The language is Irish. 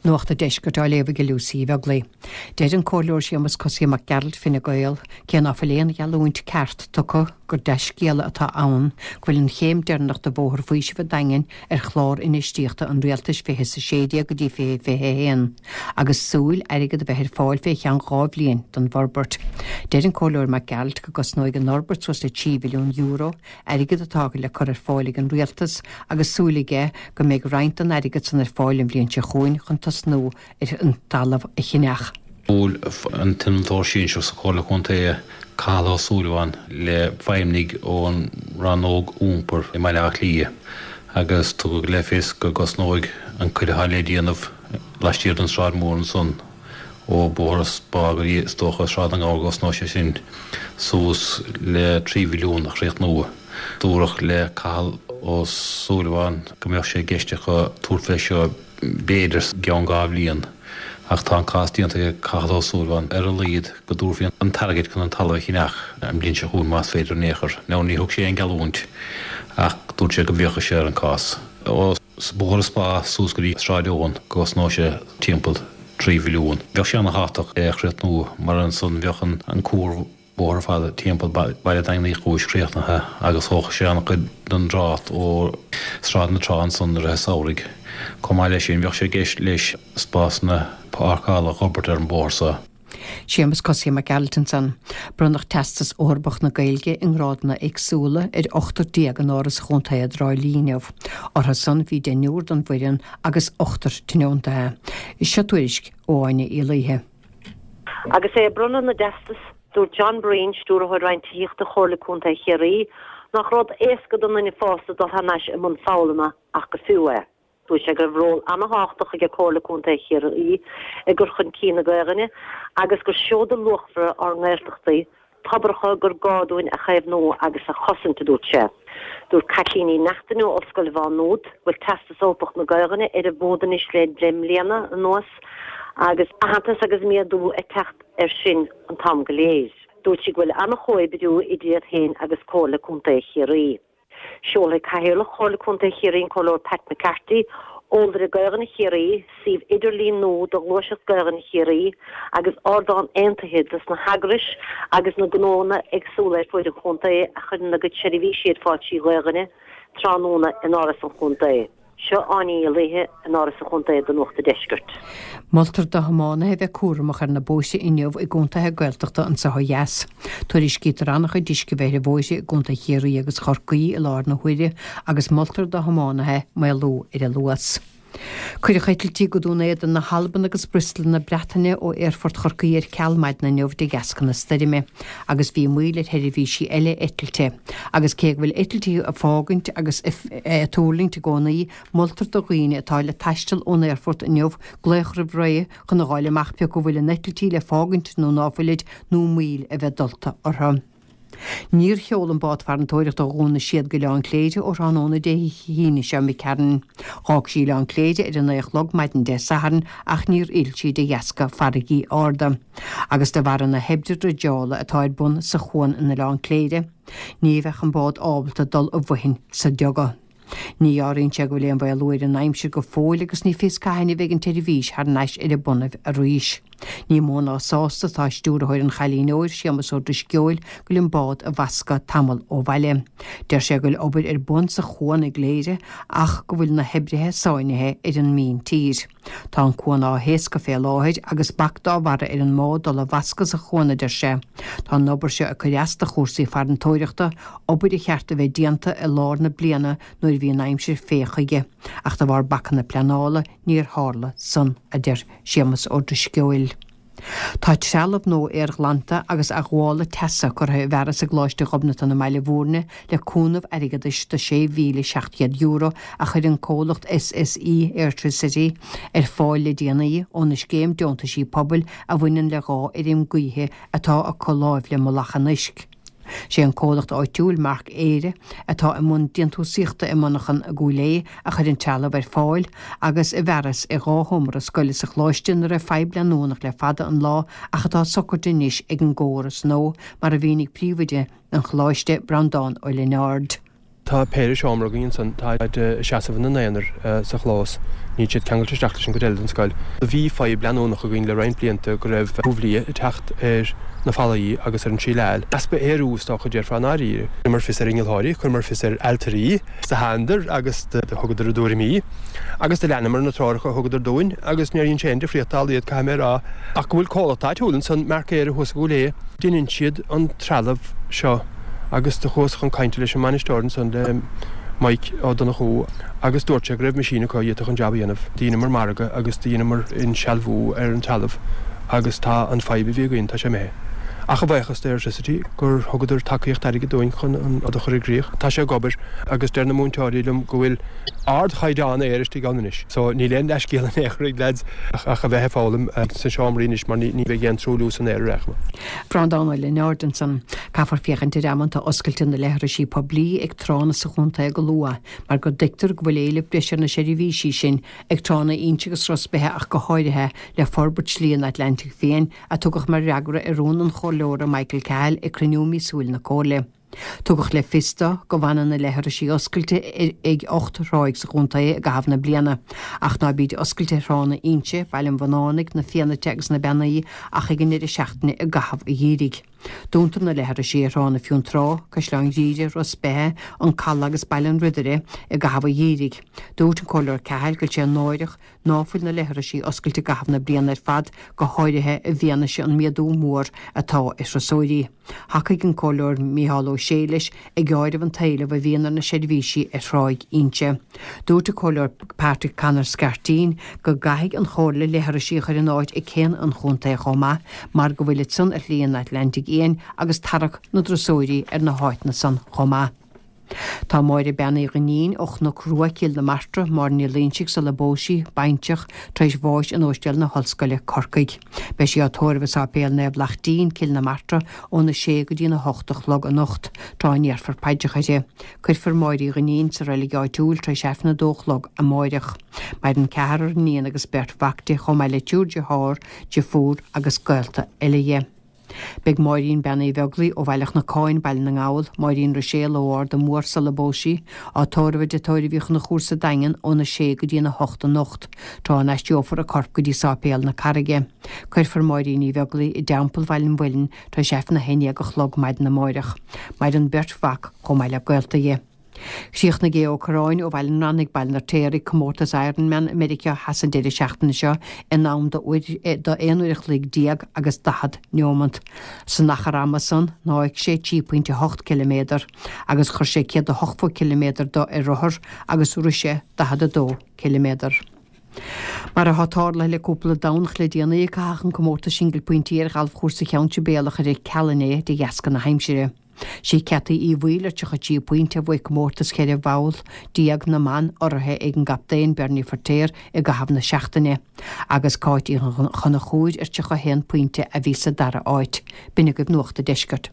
Nuacht an Deiscirt á léamh ag Lucy Uí Bheaglaoi. Deir an Comhairleoir Séamus Cosaí Mac Gearailt, Fine Gael, cé ná fuil aon gheallúint ceart tugtha, gur dea-scéala atá ann go bhfuil an chéim deireanach de Bhóthar Faoisimh an Daingin ar chlár infheistíochta an Rialtais 2016 go dtí 2021 agus súil airgead a bheith ar fáil fé cheann 2 bhliain don bhforbairt. Deir an Comhairleoir Mac Gearailt go gcosnóidh an fhorbairt suas le €3 mhilliún, airgead atá le cur ar fáil ag an Rialtas agus súil aige go mbeidh roinnt den airgead san ar fáil an bhliain seo chugainn chun tosnú ar an talamh a cheannach. Bhuail an t-innealtóir sinsearach sa Chomhairle Contae, Cathal Ó Súilleabháin, le feidhmnigh ón Rannóg Iompair i mBaile Átha Cliath agus tugadh le fios go gcosnóidh an cuid atá le déanamh laistiar den Sráid Mhór ansan ó Bhóthar an Spá go dtí, is dócha, Sráid na nGabhar go gcosnóidh sé sin suas le 3 mhilliún a chríochnú. Dúradh le Cathal Ó Súilleabháin go mbeadh sé i gceist acu tabhairt fé seo b'fhéidir i gceann 2 bhliain ach tá an cás déanta ag Cathal Ó Súilleabháin ar a laghad go dtabharfaí an t-airgead chun an talamh a cheannach an bhliain seo chugainn más féidir in aon chor. Now ní thug sé aon gheallúint ach dúirt sé go bhféachfadh sé ar an cás. Ó Bhóthar an Spá suas go dtí Sráid Eoin go gcosnóidh sé timpeall 3 mhilliún. Bheadh sé ana-thábhachtach é a chríochnú mar ansan bheadh an cuar bóthair ar fad timpeall baile Daingean Uí Chúis críochnaithe agus thógfadh sé an-chuid den dtrácht ó Sráid na Trá ansan i rith an samhraidh. Chomh maith leis sin bheadh sé i gceist leis spásanna páirceála a fhorbairt ar an bóthar so. Séamus Cosaí Mac Gearailt ansan. Bronnadh Teastas Eorpach na Gaeilge i ngrádanna éagsúla ar 18 in Áras an Chontae i dTrá Lí inniu. Orthu san bhí deichniúr den bhfoireann agus ochtar tionóntaithe. Seo tuairisc ó Áine Uí Laoithe. Agus é ag bronnadh na dteastas, dúirt John Breen, Stiúrthóir Roinn Tithíochta Chomhairle Contae Chiarraí, nach rud éasca don nduine fásta dul thar n-ais i mbun foghlama ach gur fiú é. Dúirt sé go raibh ról ana-thábhachtach aige Comhairle Contae Chiarraí i gcur chun cinn na Gaelainne agus gur seoda luachmhara ár nGaeltachtaí, tobracha gur gá dúinn a chaomhnú agus a chosaint, a dúirt sé. Dúirt Caitlín Ní Neachtain ó Ollscoil Mhá Nuad go bhfuil Teastas Eorpach na Gaelainne ar an bhfód anois le 10 mbliana anuas agus aitheantas agus méadú ag teacht air sin an t-am go léir. Dúirt sí go bhfuil an-chomhoibriú idir iad féin agus Comhairle Contae Chiarraí. Seolfaidh Cathaoirleach Chomhairle Contae Chiarraí an Comhairleoir Pat McCarthy, Eolaire Gaelainne Chiarraí, suíomh idirlín nua do Ghluaiseacht Gaelainne Chiarraí agus ardán aontaithe dos na heagrais agus na gnóanna éagsúla ar fuaid an chontae a chuireann a gcuid seirbhísí ar fáil trí Ghaelainne tráthnóna in Áras an Chontae. Seo Áine Uí Laoithe in Áras an Chontae do Nuacht an Deiscirt. Moltar do thiománaithe bheith cúramach ar na bóithre inniu i gcontaetha Gaeltachta anseo ó dheas. Tuairiscítear an-chuid uisce a bheith ar bhóithre i gcontae Chiarraí agus Chorcaí i láthair na huaire agus moltar do thiománaithe maolú ar an luas. Cuireadh eitiltí go Dún Éideann na hAlban agus Bristol na Breataine ó Aerfort Chorcaí ar ceal maidin inniu de dheasca na stoirme agus bhí moill ar sheirbhísí eile eitilte. Agus cé go bhfuil eitiltí ag fágaint agus ag tuirlingt i gcónaí, moltar do dhaoine atá le taisteal ón aerfort inniu glaoch roimh ré chun a dh'fháil amach pé acu bhfuil a n-eitiltí le fágaint nó ná fuilid nó moill a bheith dulta orthu. Níor sheol an bád farantóireachta ó Dhún na Séad go Oileán Cléire ó thráthnóna Dé hAoine seo imigh tharainn. Dh'fhág sí Oileán Cléire ar a 9 a chlog maidin Dé Sathairn ach níor fhill sí de dheasca farraigí arda. Agus de bharra na hoibre dreideála atá ar bun sa chuan in Oileán Cléire, ní bheadh an bád ábalta dul i bhfoithin sa duga. Ní dhealraíonn sé go bhfuil aon mhaolú ar an aimsir go fóill agus ní fios cathain a bheidh an tseirbhís thar n-ais ar a bonnaibh arís. Ní mó ná sásta atá stiúrthóir an Chailín Óir, Séamus Ó Drisceoil, go bhfuil an bád ag bascadh tamall ó bhaile. Deir sé go bhfuil obair ar bun sa chuan i gCléire ach go bhfuil na hoibrithe sáinnithe ar an míntír. Tá an cuan á thaoscadh fé láthair agus bac dá bharra ar an mbád dul a bhascadh sa chuan, a deir sé. Tá an obair seo ag cur as do chúrsaí farantóireachta, obair a cheart a bheith déanta i lár na bliana nuair a bhí an aimsir fé chuige, ach de bharr bacanna pleanála níor tharla san, a deir Séamus Ó Drisceoil. Tá trealamh nua aerghlanta agus athghabhála teasa curtha i bhfearas i gColáiste Ghobnatan i mBaile Bhúirne le cúnamh airgeadais de €6,700 a chuir an comhlacht SSE Airtricity ar fáil le déanaí óna scéim deontaisí pobail a bhaineann le 2 fheirm gaoithe atá acu láimh le Mullach an Uisc. Sé an comhlacht áitiúil Marc Éire atá i mbun déantúsaíochta i monarchan i gCúil Aodha a chuir an trealamh ar fáil agus i bhfearas i 2 sheomra scoile sa choláiste ina raibh fadhb leanúnach le fada an lá ach atá socraithe anois ag an gcóras nua mar a mhínigh príomhoide an choláiste, Breandán Ó Lionáird. Tá péire seomra againn ansan, táid ag seasamh ina n-aonar sa chlós, níl siad ceangailte isteach leis an gcuid eile den scoil. Bhí fadhb leanúnach againn le roinnt blianta go raibh ubh liath ag teacht ar na fallaí agus ar an tsíleáil. Easpa aerú is dócha a déarfá i ndáiríre. Chuireamar fios ar innealtóirí, chuireamar fios ar ailtirí, do thánadar agus do thugadar a dtuairimí agus do leanamar na treoracha a thugadar dúinn agus níor dhein sé aon difríocht dá laghad, caithfidh mé a rá. Ach go bhfuil comhlacht áitiúil ansan, Mark Éire thuas i gCúil Aodha, deineann siad an trealamh seo agus do chuas chun cainte leis an mbainisteoir ansan, le Mike Ó Donnchú agus dúirt sé go raibh meaisín acu a d'fhéadfadh an jab a dhéanamh. Dheineamar margadh agus do dheineamar insealbhú ar an trealamh agus tá an fadhb a bhí againn, tá sé imithe. Ach a bhuíochas d'Airtricity gur thugadar tacaíocht airgid dúinn chun an rud a chur i gcrích. Tá sé ag obair agus deir na múinteoirí liom go bhfuil ardchaighdeán aeir istigh ann anois. So níl aon leithscéal in aon chor ag leaids ach a bheith ag foghlaim sna seomraí anois mar ní bheidh aon truailliú san aer ar aon chuma. Breandán Ó Lionáird ansan. Caithfear féachaint ar amanta oscailte na leithrisí poiblí ag tránna sa chontae go luath mar go dtuigtear go bhfuil éileamh breise ar na seirbhísí sin ag tránna Inse agus Ros Beithe ach go háirithe le forbairt Shlí an Atlantaigh Fiáin a tugadh mar fhreagra ar rún an Chomhairleora Michael Cahill ag cruinniú míosúil na Comhairle. Tugadh le fios dó go bhfanann na leithrisí oscailte ag 8 thráigh sa chontae i gcaitheamh na bliana, ach ná bíd oscailte ar thránna Inse, Baile an Bhunánaigh, na Fiannaite agus na Beannaí ach ag an ndeireadh seachtaine i gcaitheamh an gheimhridh. Dúntar na leithrisí ar thránna Fionntrá, Caisleán Ghriaire, Ros Beithe, An Caladh agus Baile an Ridire i gcaitheamh an gheimhridh. Dúirt an Comhairleoir Cahill go bhfuil sé náireach ná fuil na leithrisí oscailte i gcaitheamh na bliana ar fad, go háirithe i bhfianaise an méadú mór atá ar thurasóirí. Thacaigh an Comhairleoir Mícheál Ó Sé leis, ag áireamh an t-éileamh a bhíonn ar na seirbhísí ar Thráigh Inse. Dúirt an Comhairleoir Patrick Conor Scarteen go gcaithfidh an Chomhairle leithrisí a chur in áit ag céanna an chontae chomh maith mar go bhfuilid san ar Shlí an Atlantaigh Fhiáin agus tarrac na dturasóirí ar na háiteanna san chomh maith. Tá Máire Bean Uí Dhuinnín ó Chnoc Rua, Cill na Martra, Máire Ní Loingsigh sula bpós sí, baintreach, tar éis bháis in Óistéal na hOllscoile, Corcaigh. Beidh sí á tórramh i Sáipéal Naomh Laichtín, Cill na Martra, óna sé go dtína hocht a chlog anocht, tráth a ndéarfar paidreacha uirthi. Cuirfear Máire Uí Dhuinnín sa reilig áitiúil tar éis Aifreann a dó a chlog amáireach. Maireann ceathrar iníon agus beirt mhac di, chomh maith le triúr dearthár, deirfiúr agus gaolta eile dhi. Beidh Máirín Bean Uí Bheaglaoi ó Bhaile Chnocáin, Baile na nGall, Máirín Ruiséal ó Ard an Mhór sula bpós sí, á tórramh i dTigh Tórraimh Uí Chonchúir sa Daingean óna sé go dtína hocht anocht, tráth a n-aistreofar a corp go dtí Sáipéal na Carraige. Cuirfear Máirín Uí Bheaglaoi i dTeampall Bhaile an Mhuilinn tar éis Aifreann a haon dhéag a chlog maidin amáireach. Maireann beirt mhac chomh maith le gaolta dhi. Chríochnaigh Aodh Ó Curráin ó Bhaile an Rannaigh, Baile an Fheirtéaraigh, comórtas Ironman i Meiriceá Theas an deireadh seachtaine seo in am do 11 uair a chloig agus 40 neomant. San achar ama san, shnámh sé 3.8 ciliméadar agus chuir sé 180 ciliméadar de ar rothar agus rith sé 42 ciliméadar. Mar atá tarlaithe le cúpla Domhnach le déanaí, caitheadh an comórtas singil pointí ar ghalfchúrsa Cheann Sibéal a chur ar ceal inné de dheasca na haimsire. Sí Ceataí Uí Bhaoill ar 33 pointe a bhuaigh comórtas 14 bholl na mban, urraithe ag an gcaptaen Bernie Feirtéar i gcaitheamh na seachtaine, agus Cáit Uí Chonchúir ar 31 pointe a bhí sa dara háit. B'in agaibh Nuacht a' Deiscirt.